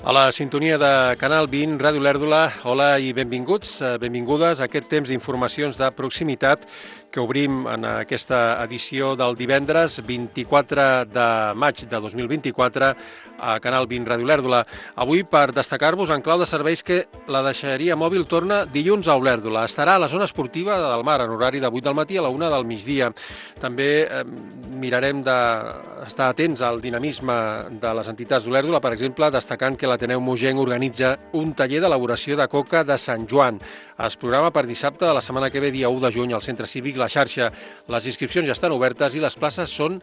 A la sintonia de Canal 20, Ràdio Lèrdula, hola i benvinguts, benvingudes a aquest temps d'informacions de proximitat que obrim en aquesta edició del divendres 24 de maig de 2024 a Canal 20 Ràdio Lèrdula. Avui, per destacar-vos en clau de serveis, que la deixalleria mòbil torna dilluns a Olèrdola. Estarà a la zona esportiva del Mar en horari de 8 del matí a la 1 del migdia. També mirarem d'estar atents al dinamisme de les entitats d'Olèrdola, per exemple, destacant que l'Ateneu Mogenc organitza un taller d'elaboració de coca de Sant Joan. Es programa per dissabte de la setmana que ve, dia 1 de juny, al Centre Cívic La Xarxa. Les inscripcions ja estan obertes i les places són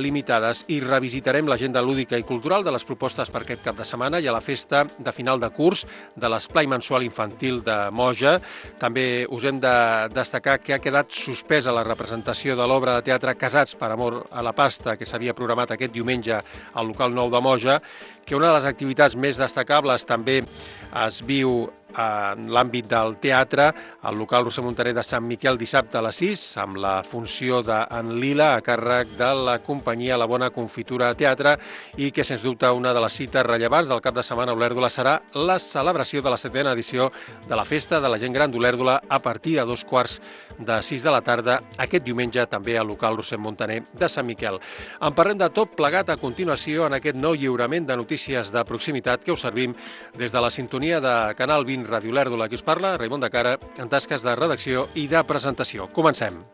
limitades. I revisitarem l'agenda lúdica i cultural de les propostes per aquest cap de setmana i a la festa de final de curs de l'esplai mensual infantil de Moja. També us hem de destacar que ha quedat suspesa la representació de l'obra de teatre Casats per amor a la pasta, que s'havia programat aquest diumenge al local 9 de Moja, que una de les activitats més destacables també es viu en l'àmbit del teatre, al local Roser Montaner de Sant Miquel dissabte a les 6, amb la funció d'en Lila a càrrec de la companyia La Bona Confitura Teatre, i que, sens dubte, una de les cites rellevants del cap de setmana a Olèrdola serà la celebració de la 7ª edició de la Festa de la Gent Gran d'Olèrdola a partir de 2:45 de la tarda, aquest diumenge també al local Roser Montaner de Sant Miquel. En parlem de tot plegat a continuació en aquest nou lliurament de notícies de proximitat que us servim des de la sintonia de Canal 20 Ràdio Lèrdula. Qui us parla, Raimon de Cara, en tasques de redacció i de presentació. Comencem.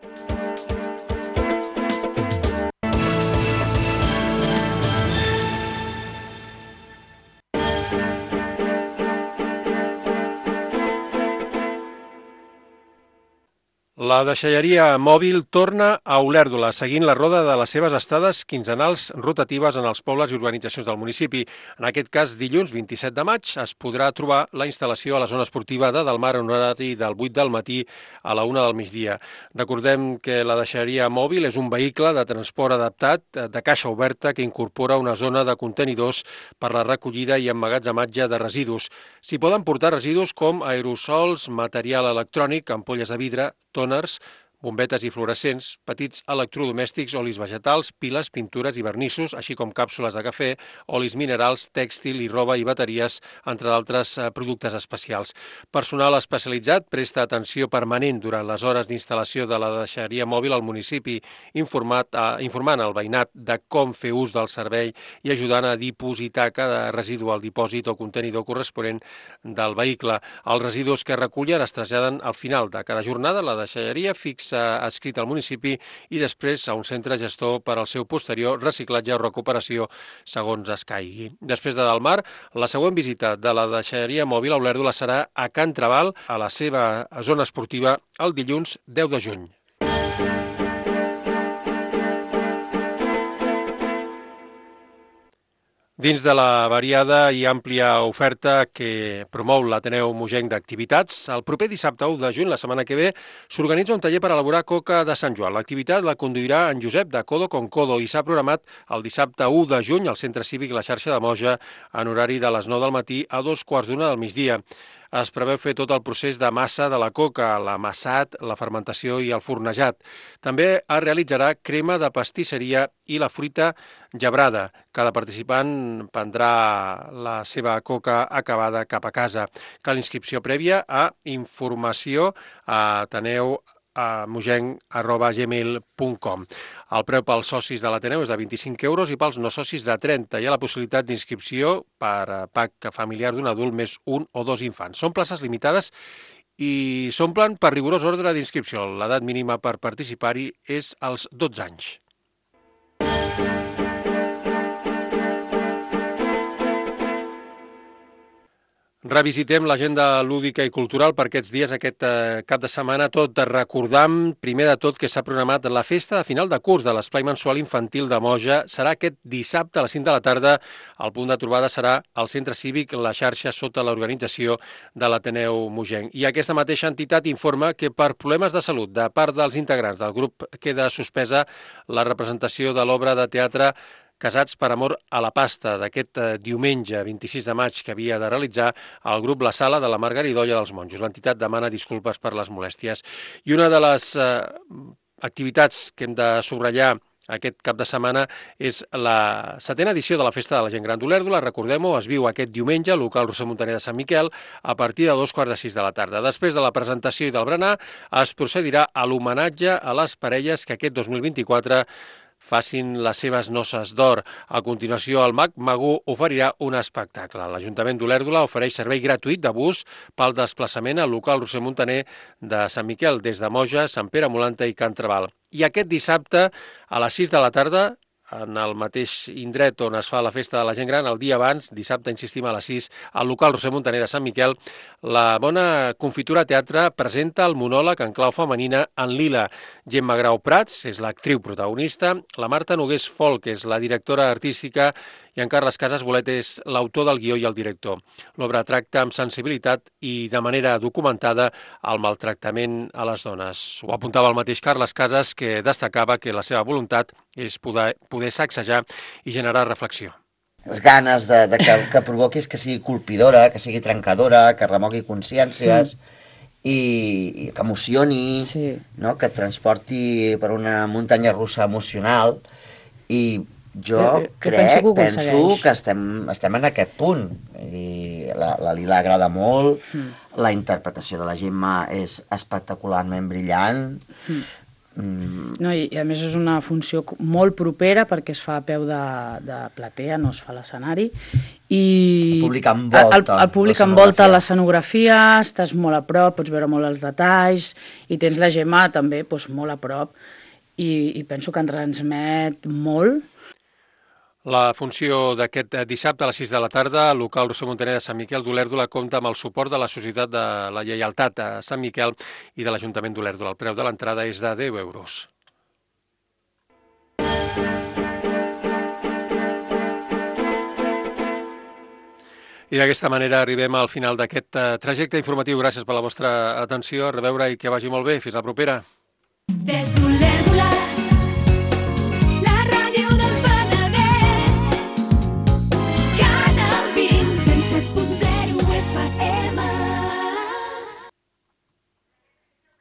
La deixalleria mòbil torna a Olèrdola, seguint la roda de les seves estades quinzenals rotatives en els pobles i urbanitzacions del municipi. En aquest cas, dilluns 27 de maig es podrà trobar la instal·lació a la zona esportiva de Delmar en horari del 8 del matí a la 1 del migdia. Recordem que la deixalleria mòbil és un vehicle de transport adaptat de caixa oberta que incorpora una zona de contenidors per la recollida i emmagatzematge de residus. S'hi poden portar residus com aerosols, material electrònic, ampolles de vidre, tòners, bombetes i fluorescents, petits electrodomèstics, olis vegetals, piles, pintures i vernissos, així com càpsules de cafè, olis minerals, tèxtil i roba i bateries, entre d'altres productes especials. Personal especialitzat presta atenció permanent durant les hores d'instal·lació de la deixalleria mòbil al municipi, informant el veïnat de com fer ús del servei i ajudant a dipositar cada residu al dipòsit o contenidor corresponent del vehicle. Els residus que recullen es traslladen al final de cada jornada a la deixalleria fixa adscrit al municipi i després a un centre gestor per al seu posterior reciclatge o recuperació segons escaigui. Després de Delmar, la següent visita de la deixalleria mòbil a Olèrdola serà a Can Trabal, a la seva zona esportiva, el dilluns 10 de juny. Dins de la variada i àmplia oferta que promou l'Ateneu Mogenc d'activitats, el proper dissabte 1 de juny, la setmana que ve, s'organitza un taller per elaborar coca de Sant Joan. L'activitat la conduirà en Josep de Codo con Codo i s'ha programat el dissabte 1 de juny al Centre Cívic La Xarxa de Moja en horari de les 9 del matí a 2:15 del migdia. Es preveu fer tot el procés de massa de la coca, l'amassat, la fermentació i el fornejat. També es realitzarà crema de pastisseria i la fruita gebrada. Cada participant prendrà la seva coca acabada cap a casa. Cal inscripció prèvia a informació a ateneu@mogenc.gmail.com. El preu pels socis de l'Ateneu és de 25 euros i pels no socis de 30. Hi ha la possibilitat d'inscripció per pack familiar d'un adult més un o dos infants. Són places limitades i s'omplen per rigorós ordre d'inscripció. L'edat mínima per participar-hi és als 12 anys. Revisitem l'agenda lúdica i cultural per aquests dies, aquest cap de setmana, tot recordant, primer de tot, que s'ha programat la festa de final de curs de l'esplai mensual infantil de Moja. Serà aquest dissabte a les 5 de la tarda. El punt de trobada serà al Centre Cívic La Xarxa sota l'organització de l'Ateneu Mogenc. I aquesta mateixa entitat informa que per problemes de salut de part dels integrants del grup queda suspesa la representació de l'obra de teatre Casats per amor a la pasta d'aquest diumenge 26 de maig que havia de realitzar el grup La Sala de la Margaridolla dels Monjos. L'entitat demana disculpes per les molèsties. I una de les activitats que hem de subratllar Aquest cap de setmana és la 7a edició de la Festa de la Gent Gran d'Olèrdola. Recordem-ho, es viu aquest diumenge al local Roser Montaner de Sant Miquel a partir de 2:45 de la tarda. Després de la presentació i del berenar, es procedirà a l'homenatge a les parelles que aquest 2024 facin les seves noces d'or. A continuació, el Mag Magú oferirà un espectacle. L'Ajuntament d'Olèrdola ofereix servei gratuït de bus pel desplaçament al local Roser Montaner de Sant Miquel, des de Moja, Sant Pere Molanta i Can Trabal. I aquest dissabte, a les 6 de la tarda, en el mateix indret on es fa la Festa de la Gent Gran, el dia abans, dissabte, insistim, a les 6, al local Roser Montaner de Sant Miquel, la Bona Confitura Teatre presenta el monòleg en clau femenina en lila. Gemma Grau Prats és l'actriu protagonista, la Marta Nogués Folk és la directora artística i en Carles Casas Bolet és l'autor del guió i el director. L'obra tracta amb sensibilitat i de manera documentada el maltractament a les dones. Ho apuntava el mateix Carles Casas, que destacava que la seva voluntat és poder sacsejar i generar reflexió. Les ganes que provoquis que sigui colpidora, que sigui trencadora, que remogui consciències i que emocioni, no? Que et transporti per una muntanya russa emocional i jo penso que estem en aquest punt. La Lila agrada molt, la interpretació de la Gemma és espectacularment brillant. No, i a més és una funció molt propera perquè es fa a peu de platea, no es fa a l'escenari. El públic envolta l'escenografia, estàs molt a prop, pots veure molt els detalls i tens la Gemma també molt a prop i penso que en transmet molt. La funció d'aquest dissabte a les 6 de la tarda al local Roser Montaner de Sant Miquel d'Olèrdola compta amb el suport de la Societat de la Lleialtat a Sant Miquel i de l'Ajuntament d'Olèrdola. El preu de l'entrada és de 10 euros. I d'aquesta manera arribem al final d'aquest trajecte informatiu. Gràcies per la vostra atenció. A reveure i que vagi molt bé. Fins la propera.